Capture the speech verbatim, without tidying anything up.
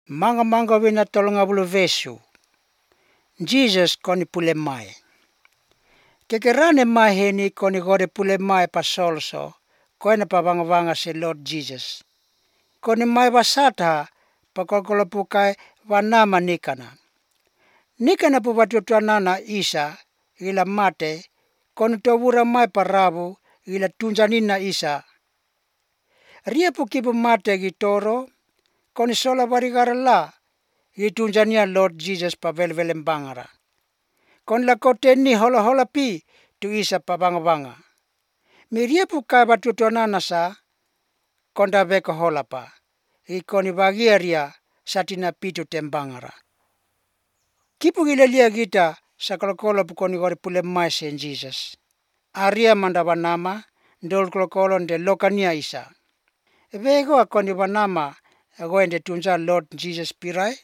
Manga manga wina tolonga bulu vesu. Jesus koni pule mai. Kekerane mai heni koni gode pule mai pa solso. Koina pa wanga wanga se Lord Jesus. Koni mai wasata pa kokolo pukai wanama nikana. Nikana pu watutuanana Isa ila mate koni towura mai pa rabu ila tunjanina Isa. Ria pu kipu mate gitoro koni sola warigara la gitunjania Lord Jesus pa velvelem bangara. Kon la koteni hola hola pi tu Isa pa banga banga. Miria pu kai watutuanana sa konda beko hola pa. Ikoni bagiaria satina pitu tembangara. Kipu gilalia gita sa kolokolo pu koni gode pule mai sen Jesus. Aria manda wanama ndol kolokolo nde lokania Isa. Vego koni wanama goende tunja Lord Jesus pirai